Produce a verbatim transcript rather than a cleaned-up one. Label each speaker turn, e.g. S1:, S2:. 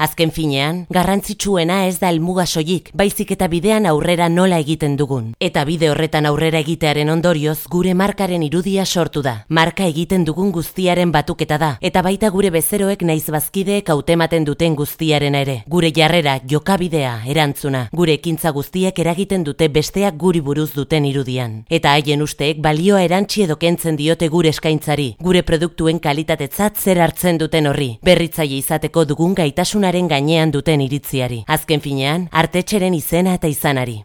S1: Azken finean, garrantzitsuena ez da helmuga soilik, baizik eta bidean aurrera nola egiten dugun. Eta bide horretan aurrera egitearen ondorioz, gure markaren irudia sortu da. Marka egiten dugun guztiaren batuketa da, eta baita gure bezeroek naiz bazkideek hautematen duten guztiarena ere. Gure jarrera, jokabidea, erantzuna, gure ekintza guztiek eragiten dute besteak guri buruz duten irudian. Eta haien usteek balioa erantsi edo kentzen diote gure eskaintzari, gure produktuen kalitatetzat zer hartzen duten horri, berritzaile izateko dugun gaitasunaren gainean duten iritziari. Azken finean, artetxeren izena eta izanari.